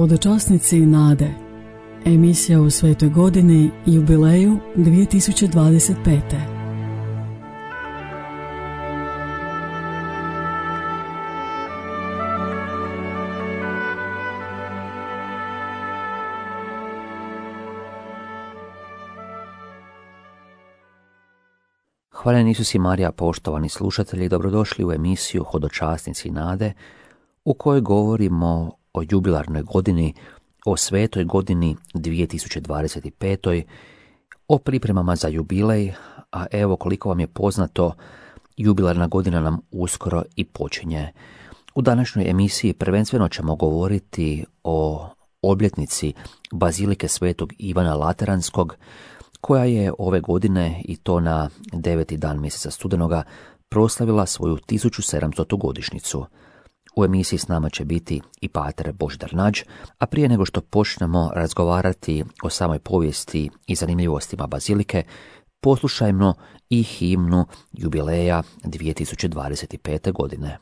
Hodočasnici nade. Emisija u svetoj godini jubileju 2025. Hvala Isus i Marija, poštovani slušatelji, dobrodošli u emisiju Hodočasnici nade, u kojoj govorimo o jubilarnoj godini, o svetoj godini 2025. o pripremama za jubilej, a evo koliko vam je poznato, jubilarna godina nam uskoro i počinje. U današnjoj emisiji prvenstveno ćemo govoriti o obljetnici Bazilike Svetog Ivana Lateranskog, koja je ove godine, i to na 9. dan mjeseca studenoga, proslavila svoju 1700. godišnjicu. U emisiji s nama će biti i pater Božidar Nađ, a prije nego što počnemo razgovarati o samoj povijesti i zanimljivostima Bazilike, poslušajmo i himnu jubileja 2025. godine.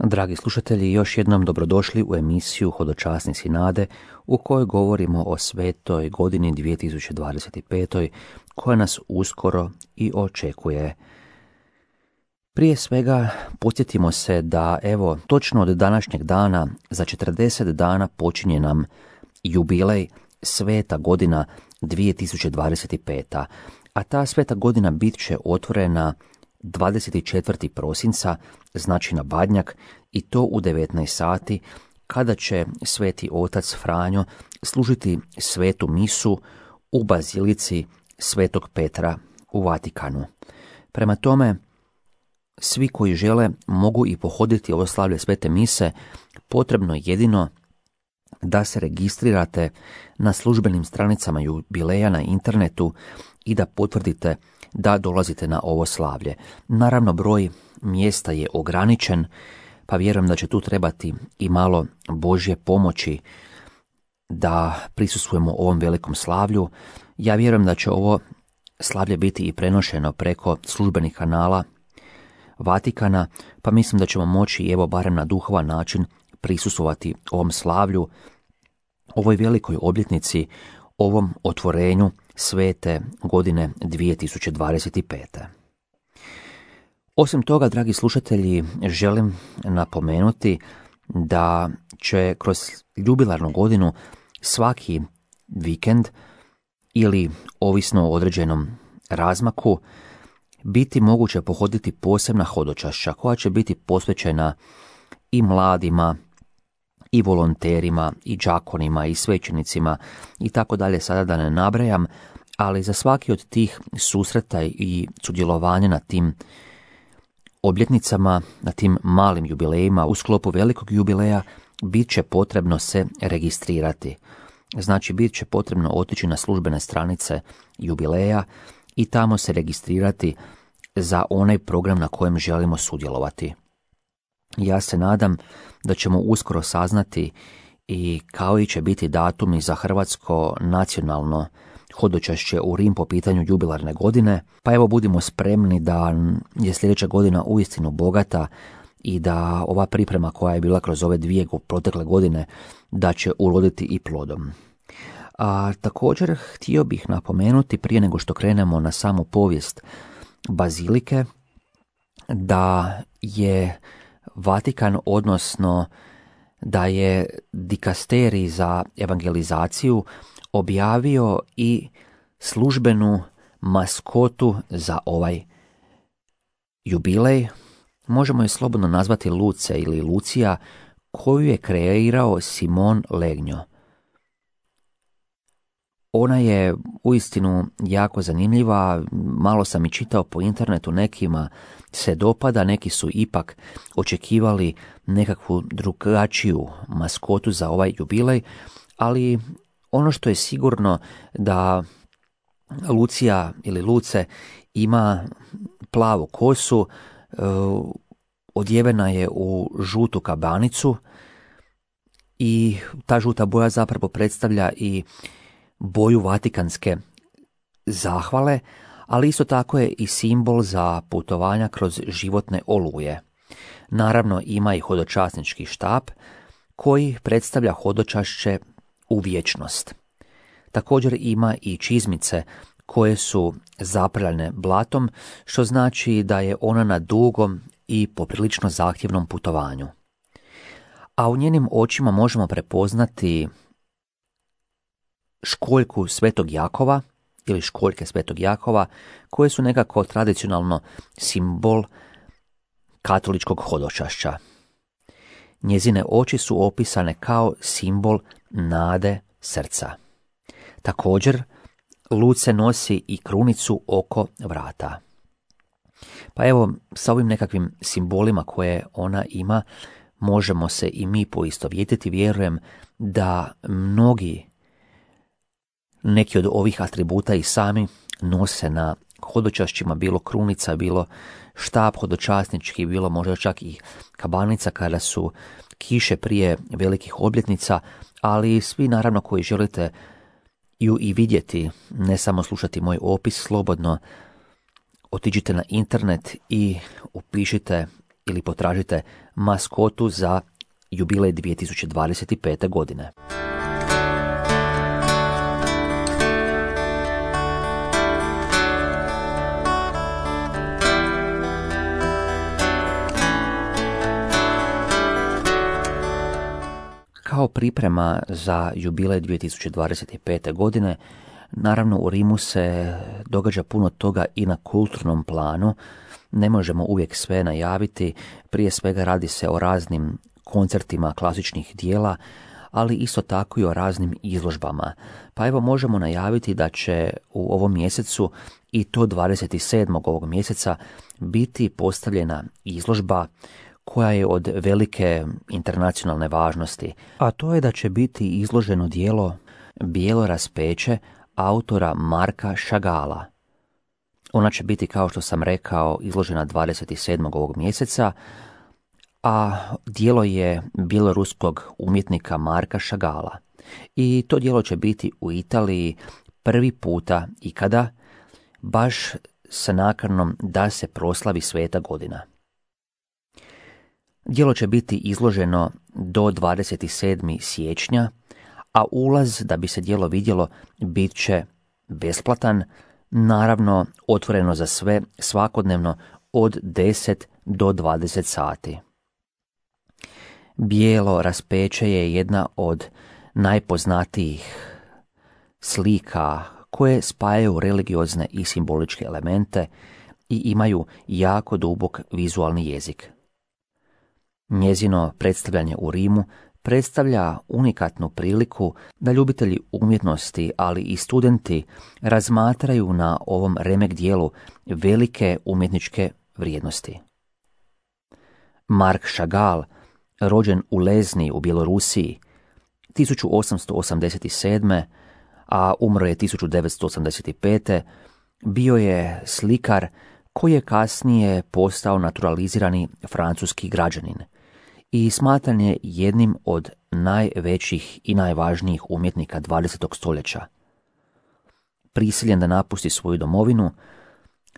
Dragi slušatelji, još jednom dobrodošli u emisiju Hodočasnici nade, u kojoj govorimo o svetoj godini 2025. koja nas uskoro i očekuje. Prije svega podsjetimo se da evo točno od današnjeg dana za 40 dana počinje nam jubilej Sveta godina 2025. A ta sveta godina bit će otvorena 24. prosinca, znači na Badnjak, i to u 19 sati, kada će sveti otac Franjo služiti svetu misu u bazilici Svetog Petra u Vatikanu. Prema tome, svi koji žele mogu i pohoditi ovo slavlje svete mise, potrebno je jedino da se registrirate na službenim stranicama jubileja na internetu i da potvrdite da dolazite na ovo slavlje. Naravno, broj mjesta je ograničen, pa vjerujem da će tu trebati i malo Božje pomoći da prisustvujemo ovom velikom slavlju. Ja vjerujem da će ovo slavlje biti i prenošeno preko službenih kanala Vatikana, pa mislim da ćemo moći, evo barem na duhovan način, prisustvovati ovom slavlju, ovoj velikoj obljetnici, ovom otvorenju svete godine 2025. Osim toga, dragi slušatelji, želim napomenuti da će kroz jubilarnu godinu svaki vikend ili ovisno o određenom razmaku biti moguće pohoditi posebna hodočašća koja će biti posvećena i mladima, i volonterima, i đakonima, i svećenicima i tako dalje, sada da ne nabrajam, ali za svaki od tih susreta i sudjelovanja na tim obljetnicama, na tim malim jubilejima u sklopu velikog jubileja bit će potrebno se registrirati. Znači, bit će potrebno otići na službene stranice jubileja i tamo se registrirati za onaj program na kojem želimo sudjelovati. Ja se nadam da ćemo uskoro saznati i koji će biti datumi za hrvatsko nacionalno hodočašće u Rim po pitanju jubilarne godine, pa evo budimo spremni da je sljedeća godina uistinu bogata i da ova priprema koja je bila kroz ove 2 protekle godine da će uroditi i plodom. A također htio bih napomenuti prije nego što krenemo na samu povijest bazilike da je Vatikan, odnosno da je dikasterij za evangelizaciju objavio i službenu maskotu za ovaj jubilej. Možemo je slobodno nazvati Luce ili Lucija, koju je kreirao Simon Legnjo. Ona je uistinu jako zanimljiva, malo sam i čitao po internetu, nekima se dopada, neki su ipak očekivali nekakvu drugačiju maskotu za ovaj jubilej, ali ono što je sigurno da Lucija ili Luce ima plavu kosu, odjevena je u žutu kabanicu i ta žuta boja zapravo predstavlja i boju vatikanske zahvale, ali isto tako je i simbol za putovanja kroz životne oluje. Naravno, ima i hodočasnički štap koji predstavlja hodočašće u vječnost. Također ima i čizmice koje su zaprljane blatom, što znači da je ona na dugom i poprilično zahtjevnom putovanju. A u njenim očima možemo prepoznati školjku Svetog Jakova ili školjke Svetog Jakova, koje su nekako tradicionalno simbol katoličkog hodočašća. Njezine oči su opisane kao simbol nade srca. Također, Luce nosi i krunicu oko vrata. Pa evo, sa ovim nekakvim simbolima koje ona ima, možemo se i mi poistovjetiti. Vjerujem da neki od ovih atributa i sami nose na hodočašćima, bilo krunica, bilo štap hodočasnički, bilo možda čak i kabanica kada su kiše prije velikih obljetnica, ali svi naravno koji želite ju i vidjeti, ne samo slušati moj opis, slobodno otiđite na internet i upišite ili potražite maskotu za jubilej 2025. godine. priprema za jubilej 2025. godine, naravno u Rimu se događa puno toga i na kulturnom planu. Ne možemo uvijek sve najaviti, prije svega radi se o raznim koncertima klasičnih dijela, ali isto tako i o raznim izložbama. Pa evo možemo najaviti da će u ovom mjesecu, i to 27. ovog mjeseca, biti postavljena izložba koja je od velike internacionalne važnosti, a to je da će biti izloženo djelo Bijelo raspeće autora Marka Chagalla. Ona će biti, kao što sam rekao, izložena 27. ovog mjeseca, a djelo je bjeloruskog umjetnika Marka Chagalla. I to djelo će biti u Italiji prvi puta ikada, baš sa nakanom da se proslavi Sveta godina. Djelo će biti izloženo do 27. siječnja, a ulaz da bi se djelo vidjelo bit će besplatan, naravno otvoreno za sve svakodnevno od 10 do 20 sati. Bijelo raspeće je jedna od najpoznatijih slika koje spajaju religiozne i simboličke elemente i imaju jako dubok vizualni jezik. Njezino predstavljanje u Rimu predstavlja unikatnu priliku da ljubitelji umjetnosti, ali i studenti razmatraju na ovom remek dijelu velike umjetničke vrijednosti. Mark Chagall, rođen u Lezni u Bjelorusiji 1887. a umro je 1985. bio je slikar koji je kasnije postao naturalizirani francuski građanin i smatran je jednim od najvećih i najvažnijih umjetnika 20. stoljeća. Prisiljen da napusti svoju domovinu,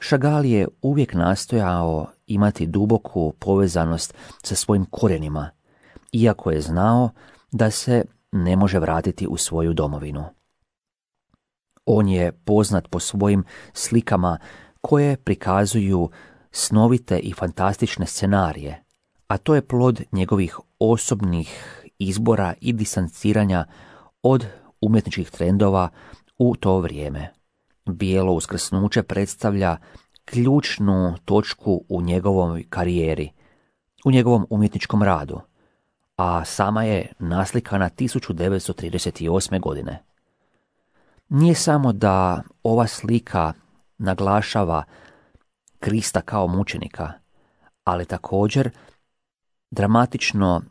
Chagall je uvijek nastojao imati duboku povezanost sa svojim korijenima, iako je znao da se ne može vratiti u svoju domovinu. On je poznat po svojim slikama koje prikazuju snovite i fantastične scenarije, a to je plod njegovih osobnih izbora i distanciranja od umjetničkih trendova u to vrijeme. Bijelo uskrsnuće predstavlja ključnu točku u njegovoj karijeri, u njegovom umjetničkom radu, a sama je naslikana 1938. godine. Nije samo da ova slika naglašava Krista kao mučenika, ali također dramatično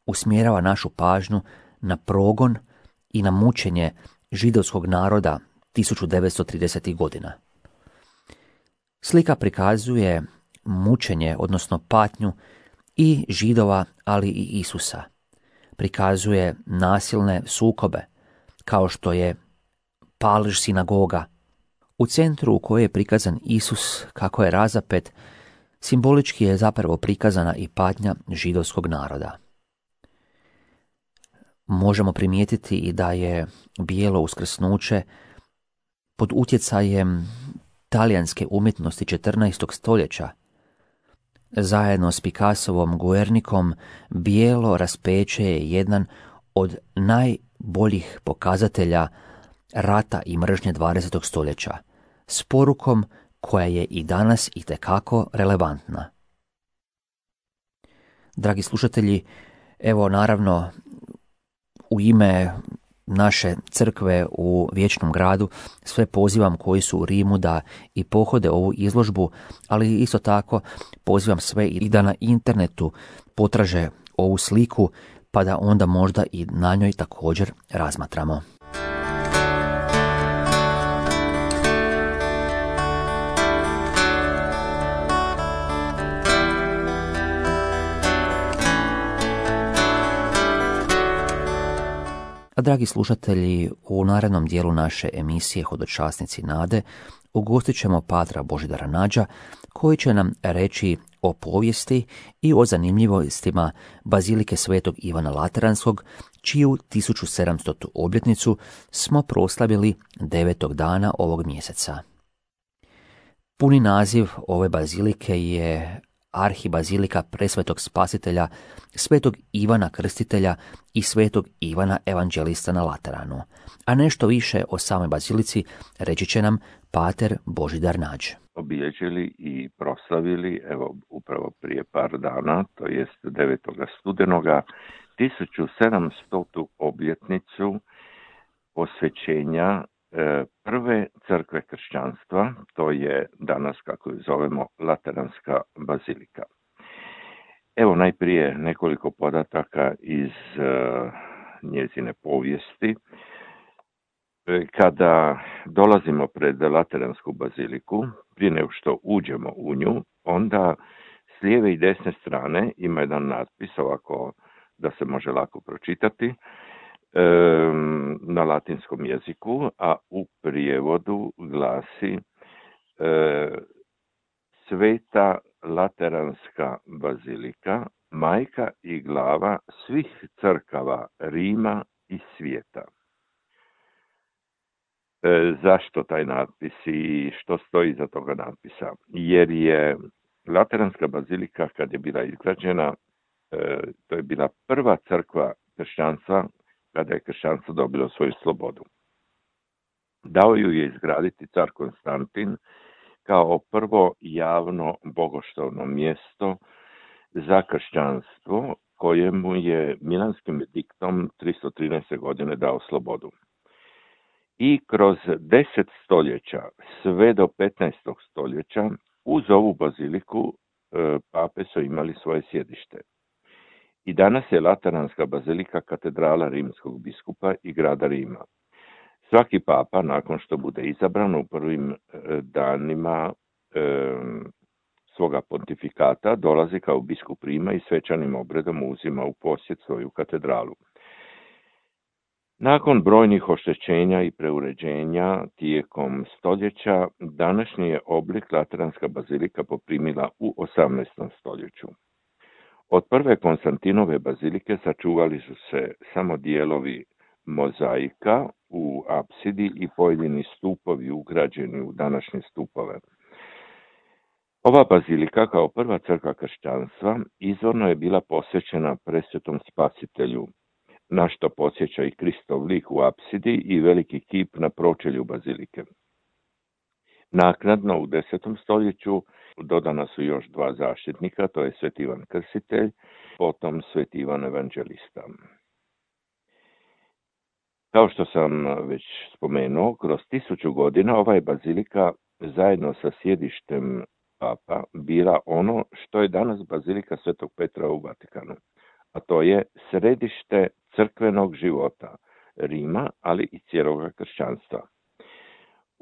usmjerava našu pažnju na progon i na mučenje židovskog naroda 1930. godina. Slika prikazuje mučenje, odnosno patnju i Židova, ali i Isusa. Prikazuje nasilne sukobe, kao što je palež sinagoga, u centru u kojoj je prikazan Isus kako je razapet. Simbolički je zapravo prikazana i patnja židovskog naroda. Možemo primijetiti i da je bijelo uskrsnuće pod utjecajem talijanske umjetnosti 14. stoljeća. Zajedno s Picassovom Guernicom, bijelo raspeće je jedan od najboljih pokazatelja rata i mržnje 20. stoljeća, s porukom koja je i danas itekako relevantna. Dragi slušatelji, evo naravno u ime naše crkve u Vječnom gradu sve pozivam koji su u Rimu da i pohode ovu izložbu, ali isto tako pozivam sve i da na internetu potraže ovu sliku, pa da onda možda i na njoj također razmatramo. A dragi slušatelji, u narednom dijelu naše emisije Hodočasnici nade ugostit ćemo patra Božidara Nađa, koji će nam reći o povijesti i o zanimljivostima Bazilike Svetog Ivana Lateranskog, čiju 1700. obljetnicu smo proslavili 9. dana ovog mjeseca. Puni naziv ove bazilike je arhibazilika presvetog spasitelja, svetog Ivana Krstitelja i svetog Ivana Evanđelista na Lateranu. A nešto više o samoj bazilici reći će nam pater Božidar Nađ. Obilježili i proslavili, evo upravo prije par dana, to jest 9. studenoga, 1700. obljetnicu posvećenja prve crkve kršćanstva, to je danas, kako ju zovemo, Lateranska bazilika. Evo najprije nekoliko podataka iz njezine povijesti. Kada dolazimo pred Lateransku baziliku, prije nego što uđemo u nju, onda s lijeve i desne strane ima jedan natpis, ovako da se može lako pročitati, na latinskom jeziku, a u prijevodu glasi Sveta Lateranska bazilika, majka i glava svih crkava Rima i svijeta. Zašto taj natpis i što stoji iza toga natpisa? Jer je Lateranska bazilika, kad je bila izgrađena, to je bila prva crkva kršćanstva kada je kršćanstvo dobilo svoju slobodu. Dao ju je izgraditi car Konstantin kao prvo javno bogoštovno mjesto za kršćanstvo, kojemu je Milanskim ediktom 313. godine dao slobodu. I kroz 10 stoljeća, sve do 15. stoljeća, uz ovu baziliku pape su imali svoje sjedište. I danas je Lateranska bazilika katedrala rimskog biskupa i grada Rima. Svaki papa, nakon što bude izabran u prvim danima svoga pontifikata, dolazi kao biskup Rima i svečanim obredom uzima u posjed svoju katedralu. Nakon brojnih oštećenja i preuređenja tijekom stoljeća, današnji je oblik Lateranska bazilika poprimila u 18. stoljeću. Od prve Konstantinove bazilike sačuvali su se samo dijelovi mozaika u apsidi i pojedini stupovi ugrađeni u današnje stupove. Ova bazilika, kao prva crkva kršćanstva, izvorno je bila posvećena presvetom spasitelju, na što podsjeća i Kristov lik u apsidi i veliki kip na pročelju bazilike. Naknadno u 10. stoljeću dodana su još 2 zaštitnika, to je Sveti Ivan Krstitelj, potom Sveti Ivan Evanđelista. Kao što sam već spomenuo, kroz 1000 godina ova je bazilika zajedno sa sjedištem papa bila ono što je danas bazilika Svetog Petra u Vatikanu, a to je središte crkvenog života Rima, ali i cijeloga kršćanstva.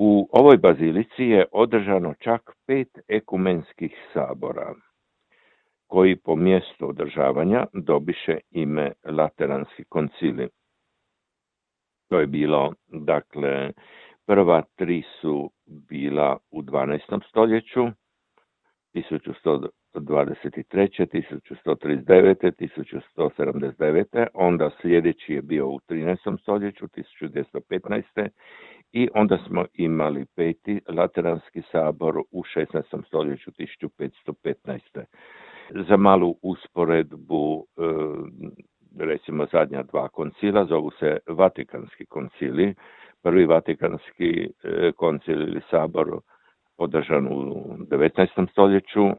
U ovoj bazilici je održano čak 5 ekumenskih sabora, koji po mjestu održavanja dobiše ime Lateranski koncili. To je bilo, dakle, prva 3 su bila u 12. stoljeću, 1123., 1139., 1179. Onda sljedeći je bio u 13. stoljeću, 1215. I onda smo imali 5. Lateranski sabor u 16. stoljeću, 1515. Za malu usporedbu, recimo zadnja 2 koncila zovu se Vatikanski koncili. Prvi Vatikanski koncil ili sabor održan u 19. stoljeću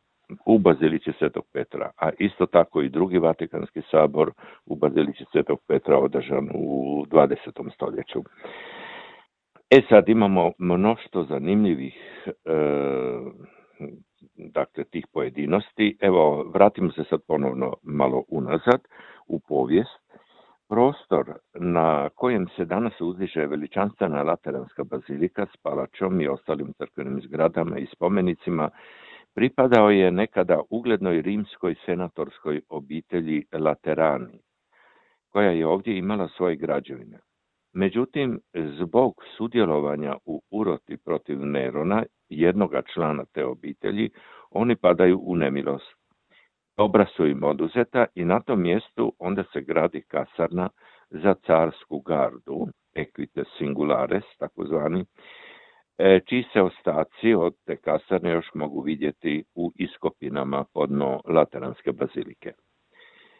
u bazilici Svetog Petra, a isto tako i drugi Vatikanski sabor u bazilici Svetog Petra održan u 20. stoljeću. Sad imamo mnoštvo zanimljivih dakle tih pojedinosti. Evo, vratimo se sad ponovno malo unazad u povijest. Prostor na kojem se danas uzdiže veličanstvena Lateranska bazilika s palačom i ostalim crkvenim zgradama i spomenicima pripadao je nekada uglednoj rimskoj senatorskoj obitelji Laterani, koja je ovdje imala svoje građevine. Međutim, zbog sudjelovanja u uroti protiv Nerona, jednoga člana te obitelji, oni padaju u nemilost. Dobra su im oduzeta i na tom mjestu onda se gradi kasarna za carsku gardu, equites singulares, takozvani, čiji se ostaci od te kasarne još mogu vidjeti u iskopinama podno Lateranske bazilike.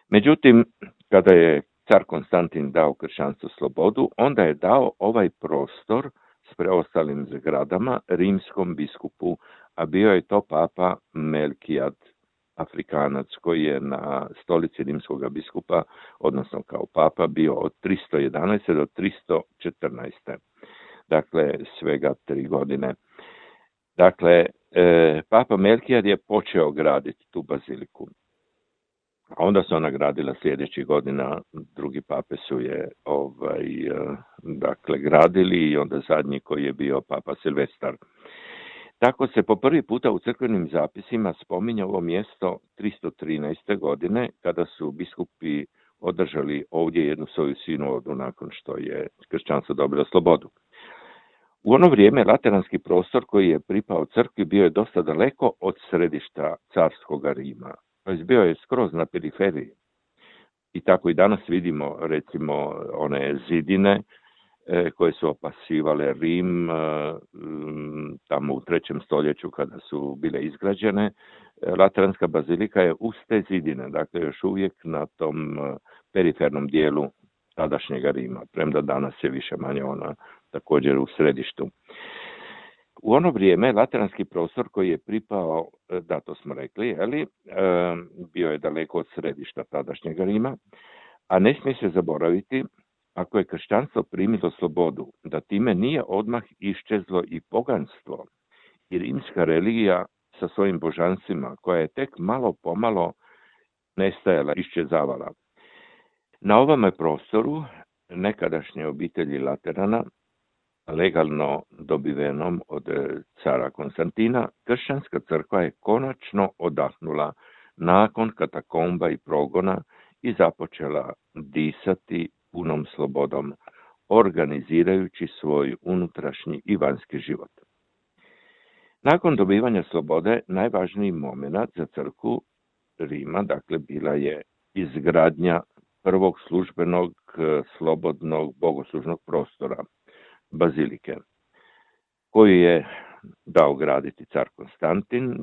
Međutim, kada je car Konstantin dao kršćanstvu slobodu, onda je dao ovaj prostor s preostalim zgradama rimskom biskupu, a bio je to papa Melkijad, Afrikanac, koji je na stolici rimskog biskupa, odnosno kao papa, bio od 311. do 314. Dakle, svega 3 godine. Dakle, papa Melkijad je počeo graditi tu baziliku. A onda su ona gradila sljedećih godina, drugi pape su je gradili i onda zadnji koji je bio papa Silvestar. Tako se po prvi puta u crkvenim zapisima spominje ovo mjesto 313. godine, kada su biskupi održali ovdje jednu svoju sinodu nakon što je kršćanstvo dobilo slobodu. U ono vrijeme lateranski prostor koji je pripao crkvi bio je dosta daleko od središta carskog Rima. Bio je skroz na periferiji. I tako i danas vidimo, recimo, one zidine koje su opasivale Rim tamo u 3. stoljeću kada su bile izgrađene. Lateranska bazilika je uz te zidine, dakle još uvijek na tom perifernom dijelu tadašnjega Rima, premda danas je više manje ona također u središtu. U ono vrijeme lateranski prostor koji je pripao, da to smo rekli, bio je daleko od središta tadašnjega Rima, a ne smije se zaboraviti, ako je kršćanstvo primilo slobodu, da time nije odmah iščezlo i poganstvo i rimska religija sa svojim božanstvima, koja je tek malo pomalo nestajala, iščezavala. Na ovome prostoru nekadašnje obitelji Laterana, legalno dobivenom od cara Konstantina, kršćanska crkva je konačno odahnula nakon katakomba i progona i započela disati punom slobodom, organizirajući svoj unutrašnji i vanjski život. Nakon dobivanja slobode, najvažniji moment za crkvu Rima, dakle, bila je izgradnja prvog službenog, slobodnog bogoslužnog prostora, bazilike, koju je dao graditi car Konstantin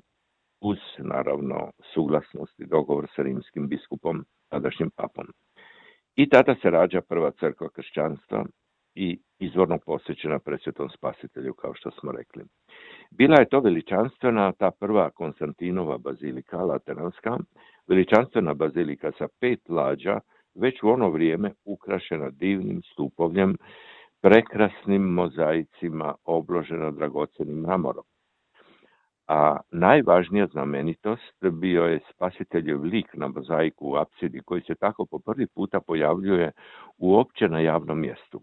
uz, naravno, suglasnost i dogovor sa rimskim biskupom, tadašnjim papom. I tada se rađa prva crkva kršćanstva i izvorno posvećena Presvetom Spasitelju, kao što smo rekli. Bila je to veličanstvena, ta prva Konstantinova bazilika, lateranska, veličanstvena bazilika sa 5 lađa, već u ono vrijeme ukrašena divnim stupovljem, prekrasnim mozaicima, obložena dragocenim mramorom. A najvažnija znamenitost bio je Spasiteljev lik na mozaiku u apsidi, koji se tako po prvi puta pojavljuje uopće na javnom mjestu.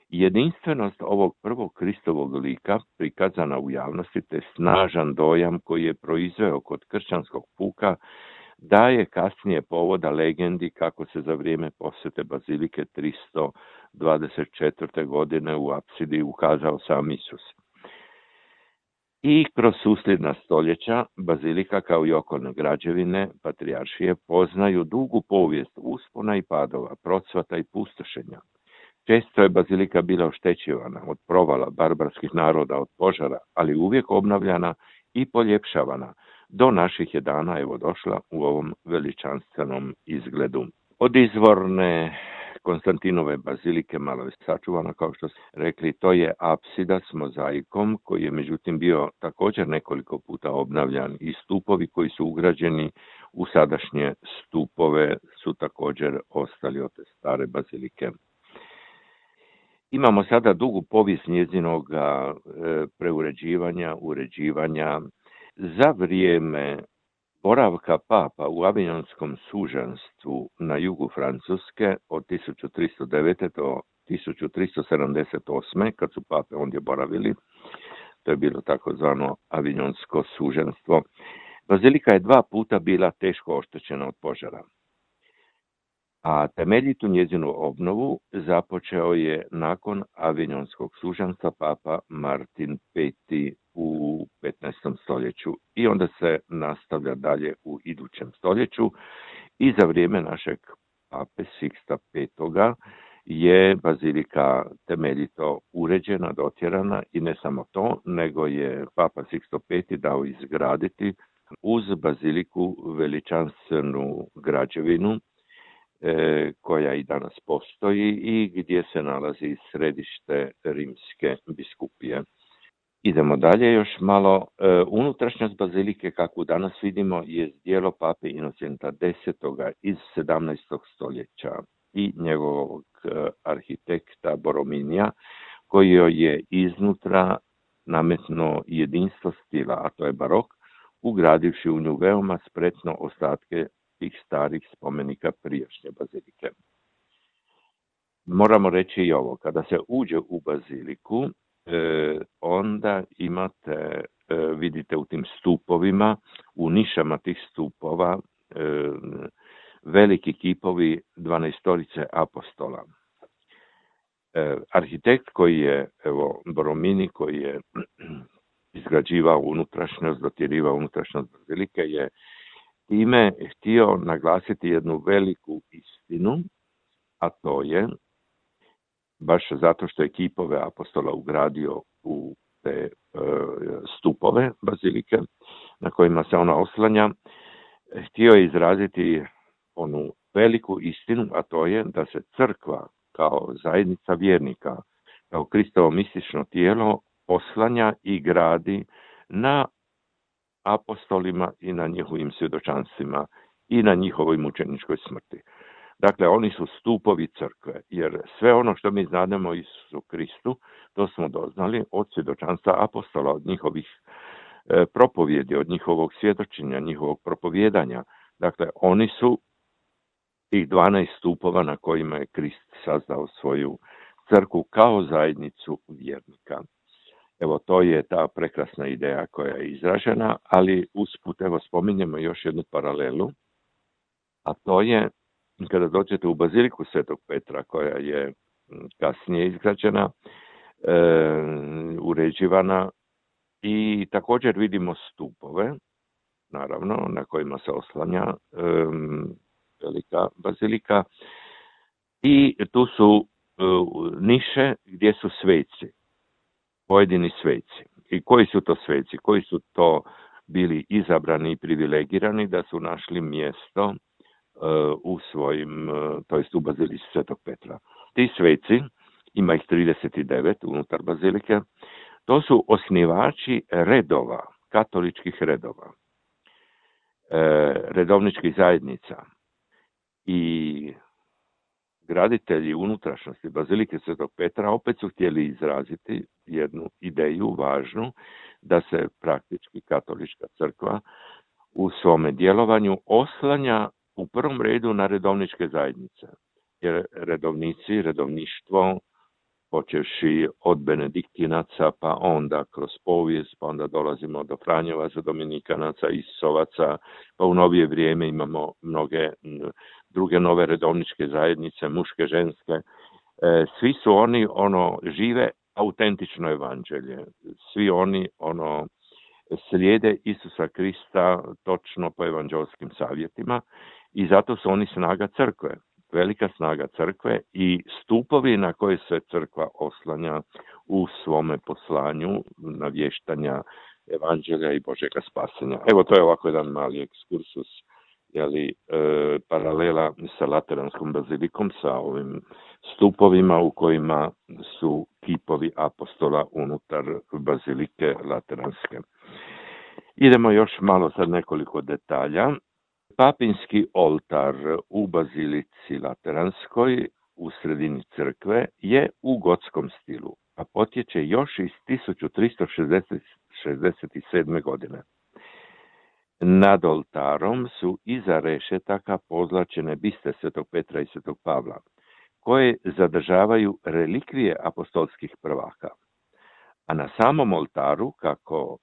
Jedinstvenost ovog prvog Kristovog lika, prikazana u javnosti, te snažan dojam koji je proizveo kod kršćanskog puka, daje kasnije povoda legendi kako se za vrijeme posjete bazilike 324. godine u apsidi ukazao sam Isus. I kroz susljedna stoljeća bazilika kao i okolne građevine patrijaršije poznaju dugu povijest uspona i padova, procvata i pustošenja. Često je bazilika bila oštećivana od provala barbarskih naroda, od požara, ali uvijek obnavljana i poljepšavana. Do naših je dana evo došla u ovom veličanstvenom izgledu. Od izvorne Konstantinove bazilike malo je sačuvana, kao što ste rekli, to je apsida s mozaikom koji je međutim bio također nekoliko puta obnavljan i stupovi koji su ugrađeni u sadašnje stupove su također ostali od te stare bazilike. Imamo sada dugu povijest njezinog preuređivanja, uređivanja. Za vrijeme boravka papa u Avignonskom sužanstvu na jugu Francuske od 1309. do 1378. kad su pape ondje boravili, to je bilo takozvano Avignonsko sužanstvo, bazilika je 2 puta bila teško oštećena od požara. A temeljitu njezinu obnovu započeo je nakon Avignonskog sužanstva papa Martin V u 15. stoljeću i onda se nastavlja dalje u idućem stoljeću i za vrijeme našeg pape Siksta V je bazilika temeljito uređena, dotjerana i ne samo to, nego je Papa Sixto V dao izgraditi uz baziliku veličanstvenu građevinu koja i danas postoji i gdje se nalazi središte rimske biskupije. Idemo dalje još malo. Unutrašnjost bazilike, kakvu danas vidimo, je djelo pape Inocenta X iz 17. stoljeća i njegovog arhitekta Borominija, koji joj je iznutra nametno jedinstvo stila, a to je barok, ugradivši u nju veoma spretno ostatke tih starih spomenika prijašnje bazilike. Moramo reći i ovo, kada se uđe u baziliku, onda imate, vidite u tim stupovima, u nišama tih stupova, veliki kipovi 12 apostola. Arhitekt koji je, Boromini, koji je izgrađivao unutrašnjost, dotjerivao unutrašnjost bazilike, je time htio naglasiti jednu veliku istinu, a to je, baš zato što je kipove apostola ugradio u te stupove bazilike na kojima se ona oslanja, htio je izraziti onu veliku istinu, a to je da se crkva kao zajednica vjernika, kao Kristovo mistično tijelo oslanja i gradi na apostolima i na njihovim svjedočanstvima i na njihovoj mučeničkoj smrti. Dakle, oni su stupovi crkve, jer sve ono što mi znademo o Isusu Kristu, to smo doznali od svjedočanstva apostola, od njihovih propovjedi, od njihovog svjedočenja, njihovog propovjedanja. Dakle, oni su tih 12 stupova na kojima je Krist sazdao svoju crkvu kao zajednicu vjernika. Evo, to je ta prekrasna ideja koja je izražena, ali usput, spominjemo još jednu paralelu, a to je kada dođete u baziliku Svetog Petra, koja je kasnije izgrađena, uređivana, i također vidimo stupove, naravno, na kojima se oslanja velika bazilika, i tu su niše gdje su sveci, pojedini sveci. I koji su to sveci? Koji su to bili izabrani i privilegirani da su našli mjesto u svojim, to jest u bazilici Svetog Petra. Ti sveci, ima ih 39 unutar bazilike, to su osnivači redova, katoličkih redova, redovničkih zajednica, i graditelji unutrašnjosti bazilike Svetog Petra opet su htjeli izraziti jednu ideju važnu, da se praktički katolička crkva u svome djelovanju oslanja u prvom redu na redovničke zajednice. Jer redovnici, redovništvo, počevši od benediktinaca, pa onda kroz povijest, pa onda dolazimo do Franjevaca, Dominikanaca, Isusovaca, pa u novije vrijeme imamo mnoge druge nove redovničke zajednice, muške, ženske. Svi su oni žive autentično evanđelje. Svi oni slijede Isusa Krista točno po evanđelskim savjetima i zato su oni snaga crkve. Velika snaga crkve i stupovi na koje se crkva oslanja u svome poslanju navještanja evanđelja i Božjega spasenja. Evo, to je ovako jedan mali ekskursus, paralela sa Lateranskom bazilikom, sa ovim stupovima u kojima su kipovi apostola unutar bazilike Lateranske. Idemo još malo sad nekoliko detalja. Papinski oltar u bazilici Lateranskoj u sredini crkve je u gotskom stilu, a potječe još iz 1367. godine. Nad oltarom su iza rešetaka pozlačene biste Svetog Petra i Svetog Pavla, koje zadržavaju relikvije apostolskih prvaka. A na samom oltaru, kako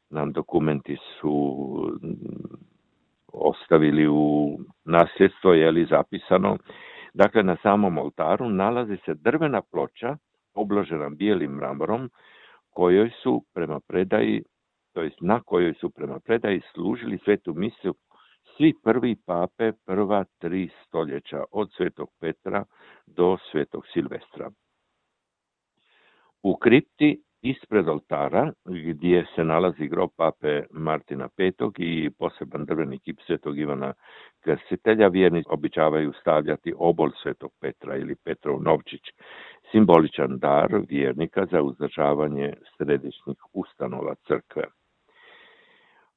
nam dokumenti su ostavili u nasljedstvo, zapisano, dakle na samom oltaru nalazi se drvena ploča obložena bijelim mramorom, kojoj su prema predaji, to jest na kojoj su prema predaji služili svetu misu svi prvi pape prva 3 stoljeća, od Svetog Petra do Svetog Silvestra. U kripti ispred oltara, gdje se nalazi grob pape Martina V i poseban drveni kip Svetog Ivana Krstitelja, vjernici običavaju stavljati obol Svetog Petra ili Petrov novčić, simboličan dar vjernika za uzdržavanje središnjih ustanova crkve.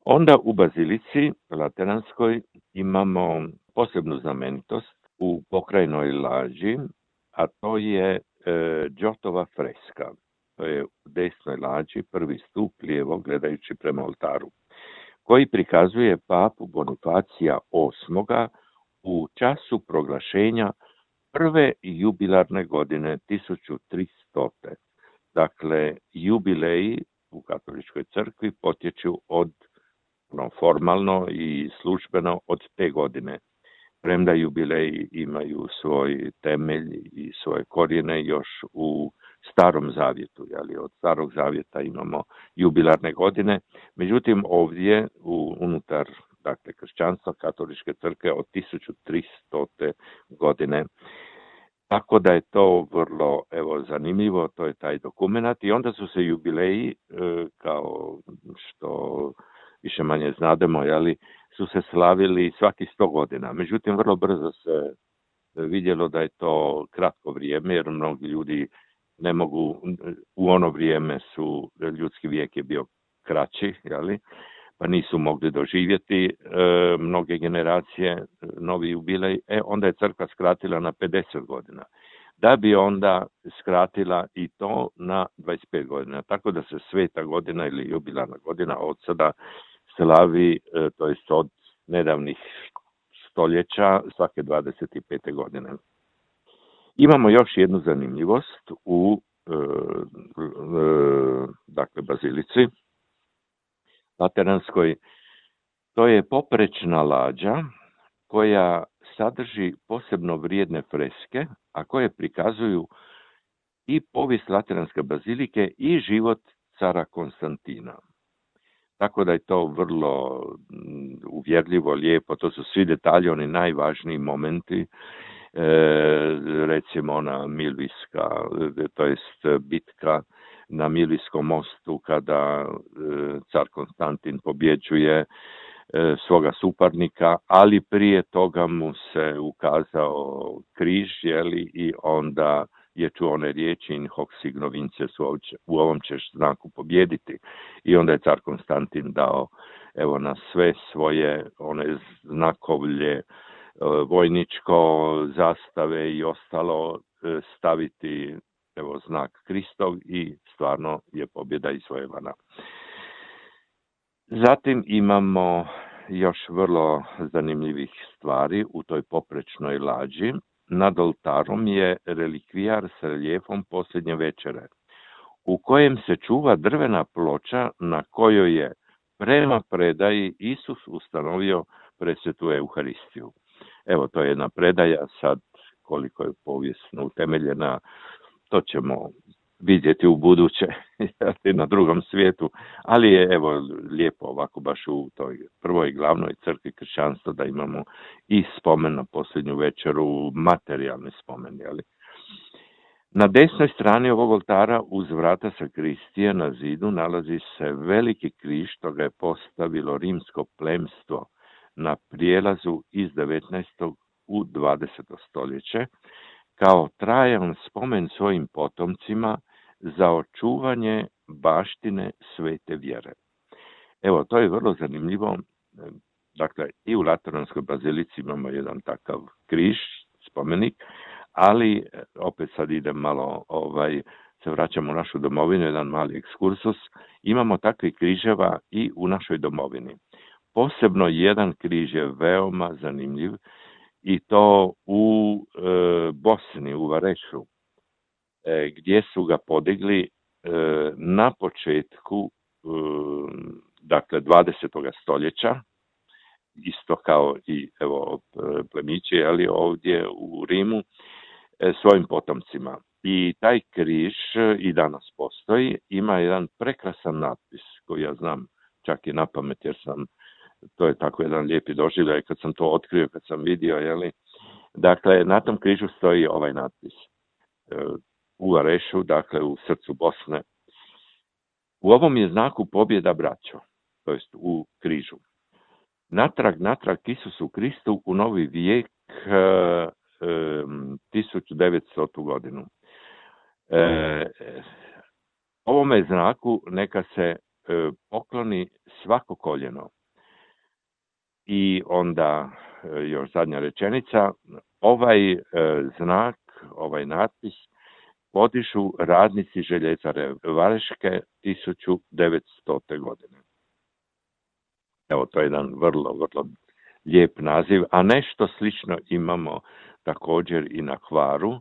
Onda u bazilici Lateranskoj imamo posebnu znamenitost u pokrajnoj lađi, a to je Giotova freska. To je u desnoj lađi, prvi stup lijevo gledajući prema oltaru, koji prikazuje papu Bonifacija VIII u času proglašenja prve jubilarne godine 1300. Dakle, jubileji u katoličkoj crkvi potječu od formalno i službeno od te godine. Premda jubileji imaju svoj temelj i svoje korijene još u Starom zavjetu, od Starog zavjeta imamo jubilarne godine, međutim ovdje unutar kršćanstva katoličke crkve od 1300. godine. Tako da je to vrlo zanimljivo, to je taj dokumenat i onda su se jubileji, kao što više manje znademo, su se slavili svaki 100 godina. Međutim, vrlo brzo se vidjelo da je to kratko vrijeme, jer mnogi ljudi ne mogu, u ono vrijeme ljudski vijek je bio kraći, pa nisu mogli doživjeti mnoge generacije novi jubilej, onda je crkva skratila na 50 godina. Da bi onda skratila i to na 25 godina. Tako da se sveta godina ili jubilarna godina od sada slavi, to jest od nedavnih stoljeća, svake 25. godine. Imamo još jednu zanimljivost u bazilici Lateranskoj. To je poprečna lađa koja sadrži posebno vrijedne freske, a koje prikazuju i povijest Lateranske bazilike i život cara Konstantina. Tako da je to vrlo uvjerljivo, lijepo, to su svi detalji, oni najvažniji momenti, recimo ona Milvijska, to jest bitka na Milvijskom mostu kada car Konstantin pobjeđuje svoga suparnika, ali prije toga mu se ukazao križ, i onda je čuo one riječi in hoc signo vinces, u ovom ćeš znaku pobjediti. I onda je car Konstantin dao na sve svoje one znakovlje, vojničko, zastave i ostalo staviti znak Kristov i stvarno je pobjeda izvojevana. Zatim imamo još vrlo zanimljivih stvari u toj poprečnoj lađi. Nad oltarom je relikvijar s reljefom posljednje večere, u kojem se čuva drvena ploča na kojoj je prema predaji Isus ustanovio presvetu Euharistiju. To je jedna predaja, sad koliko je povijesno utemeljena, to ćemo vidjeti u buduće na drugom svijetu, ali je lijepo ovako baš u toj prvoj glavnoj crkvi kršćanstva da imamo i spomen na posljednju večeru, materijalni spomen. Na desnoj strani ovog oltara uz vrata sakristije na zidu nalazi se veliki križ, što ga je postavilo rimsko plemstvo na prijelazu iz 19. u 20. stoljeće, kao trajan spomen svojim potomcima za očuvanje baštine svete vjere. To je vrlo zanimljivo. Dakle, i u Lateranskoj bazilici imamo jedan takav križ, spomenik, ali opet sad idem malo, se vraćamo u našu domovinu, jedan mali ekskursus. Imamo takvih križeva i u našoj domovini. Posebno jedan križ je veoma zanimljiv, i to u Bosni, u Varešu, gdje su ga podigli na početku 20. stoljeća, isto kao i plemići, ovdje u Rimu, svojim potomcima. I taj križ i danas postoji, ima jedan prekrasan natpis koji ja znam čak i na pamet jer sam To je tako jedan lijepi doživljaj kad sam to otkrio, kad sam vidio, Dakle, na tom križu stoji ovaj natpis. U Arešu, dakle u srcu Bosne. U ovom je znaku pobjeda, braćo, to jest u križu. Natrag Isusu Kristu u novi vijek, 1900. godinu. Ovome znaku neka se pokloni svako koljeno. I onda još zadnja rečenica, ovaj znak, ovaj natpis podižu radnici željezare Vareške 1900. godine. Evo, to je jedan vrlo, vrlo lijep naziv, a nešto slično imamo također i na Hvaru.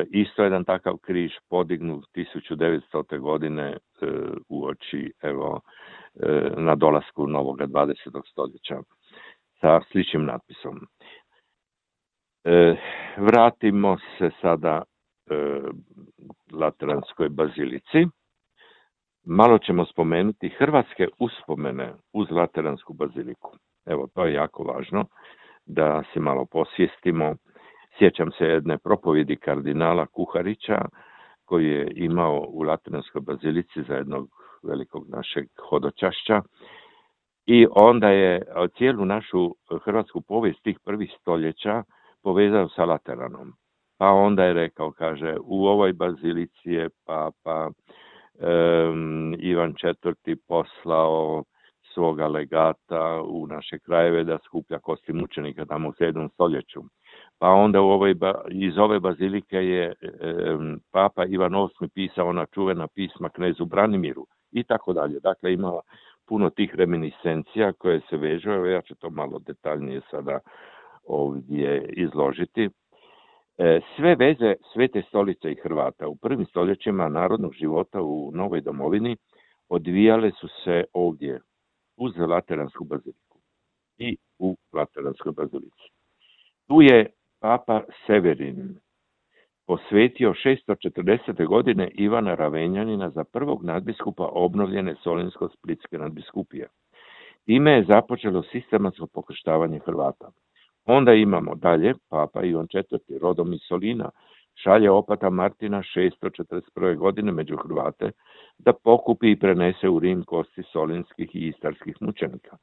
Isto jedan takav križ podignut 1900. godine uoči, na dolasku novog 20. stoljeća sa sličnim natpisom. Vratimo se sada Lateranskoj bazilici. Malo ćemo spomenuti hrvatske uspomene uz Lateransku baziliku. Evo, to je jako važno da se malo posvijestimo. Sjećam se jedne propovjedi kardinala Kuharića koji je imao u Lateranskoj bazilici za jednog velikog našeg hodočašća i onda je cijelu našu hrvatsku povijest tih prvih stoljeća povezao sa Lateranom. Pa onda je rekao, kaže, u ovoj bazilici je papa Ivan IV. Poslao svoga legata u naše krajeve da skuplja kosti mučenika tamo u 7. stoljeću. Pa onda iz ove bazilike je papa Ivan VIII. Pisao ona čuvena pisma knezu Branimiru i tako dalje. Dakle, ima puno tih reminiscencija koje se vežu. Evo, ja ću to malo detaljnije sada ovdje izložiti. Sve veze Svete stolice i Hrvata u prvim stoljećima narodnog života u novoj domovini odvijale su se ovdje uz Lateransku baziliku i u Lateranskoj bazilici. Tu je papa Severin posvetio 640. godine Ivana Ravenjanina za prvog nadbiskupa obnovljene Solinsko-splitske nadbiskupije. Time je započelo sistematsko pokrštavanje Hrvata. Onda imamo dalje, papa Ivan IV. Rodom iz Solina šalje opata Martina 641. godine među Hrvate da pokupi i prenese u Rim kosti solinskih i istarskih mučenika.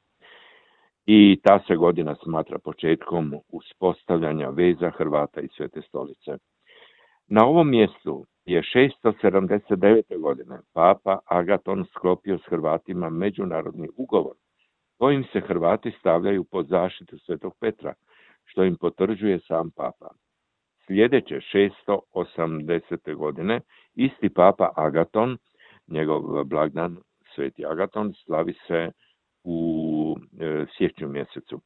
I ta se godina smatra početkom uspostavljanja veza Hrvata i Svete stolice. Na ovom mjestu je 679. godine papa Agaton sklopio s Hrvatima međunarodni ugovor kojim se Hrvati stavljaju pod zaštitu Svetog Petra, što im potvrđuje sam papa. Sljedeće 680. godine isti papa Agaton, njegov blagdan Sveti Agaton, slavi se u siječnju mjesecu.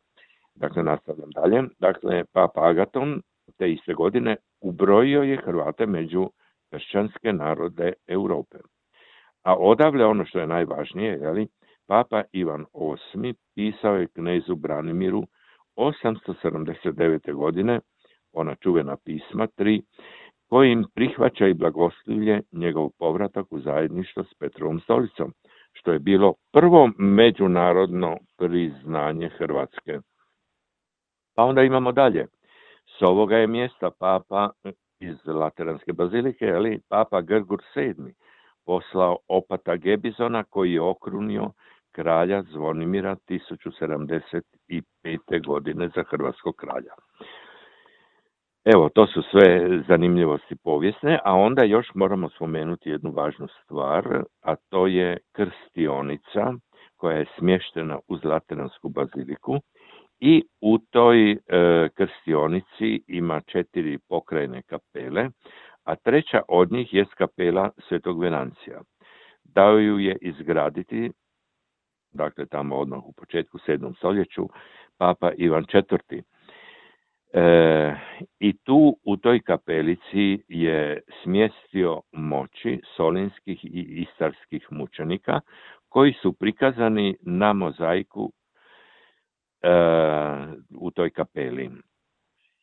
Dakle, nastavljam dalje. Dakle, papa Agaton te iste godine ubrojio je Hrvate među kršćanske narode Europe. A odavle ono što je najvažnije, papa Ivan VIII. Pisao je knezu Branimiru 879. godine, ona čuvena pisma 3, kojim prihvaća i blagoslivlje njegov povratak u zajedništvo s Petrovom stolicom, što je bilo prvo međunarodno priznanje Hrvatske. Pa onda imamo dalje. S ovoga je mjesta papa iz Lateranske bazilike, papa Grgur VII. Poslao opata Gebizona koji je okrunio kralja Zvonimira 1075. godine za hrvatskog kralja. Evo, to su sve zanimljivosti povijesne, a onda još moramo spomenuti jednu važnu stvar, a to je krstionica koja je smještena uz Lateransku baziliku i u toj krstionici ima 4 pokrajne kapele, a treća od njih je kapela Svetog Venancija. Dao ju je izgraditi, dakle tamo odmah u početku 7. stoljeću, papa Ivan IV. I tu u toj kapelici je smjestio moći solinskih i istarskih mučenika koji su prikazani na mozaiku u toj kapeli.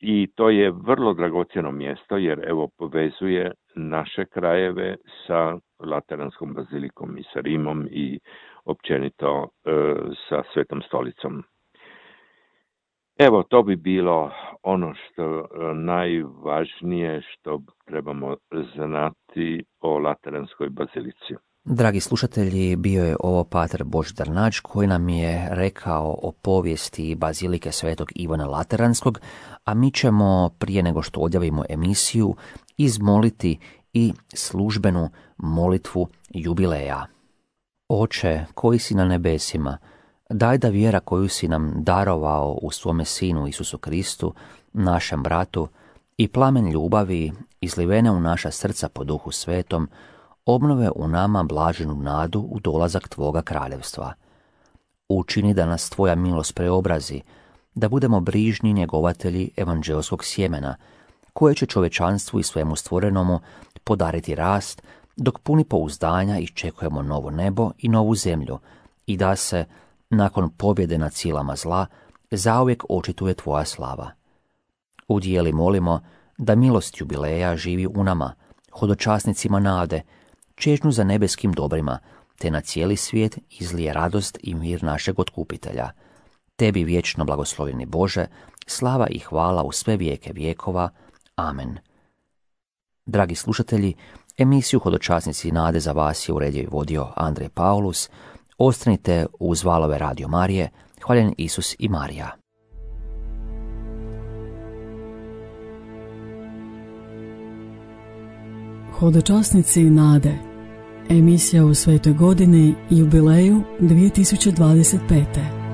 I to je vrlo dragocjeno mjesto jer evo povezuje naše krajeve sa Lateranskom bazilikom i sa Rimom i općenito sa Svetom stolicom. Evo, to bi bilo ono što najvažnije što trebamo znati o Lateranskoj bazilici. Dragi slušatelji, bio je ovo pater Božidar Nađ koji nam je rekao o povijesti bazilike Svetog Ivana Lateranskog, a mi ćemo prije nego što odjavimo emisiju izmoliti i službenu molitvu jubileja. Oče, koji si na nebesima, daj da vjera koju si nam darovao u svome Sinu Isusu Kristu, našem bratu, i plamen ljubavi izlivene u naša srca po Duhu Svetom, obnove u nama blaženu nadu u dolazak Tvoga kraljevstva. Učini da nas Tvoja milost preobrazi, da budemo brižni njegovatelji evanđelskog sjemena, koje će čovečanstvu i svemu stvorenomu podariti rast, dok puni pouzdanja iščekujemo novo nebo i novu zemlju, i da se, nakon pobjede nad silama zla, zauvijek očituje Tvoja slava. Udijeli molimo da milost jubileja živi u nama, hodočasnicima nade, čežnju za nebeskim dobrima, te na cijeli svijet izlije radost i mir našeg otkupitelja. Tebi vječno blagoslovljeni Bože, slava i hvala u sve vijeke vjekova. Amen. Dragi slušatelji, emisiju Hodočasnici nade za vas je uredio i vodio Andrej Paulus. Ostanite uz valove Radio Marije. Hvaljen Isus i Marija. Hodočasnici nade. Emisija u svetoj godini i jubileju 2025.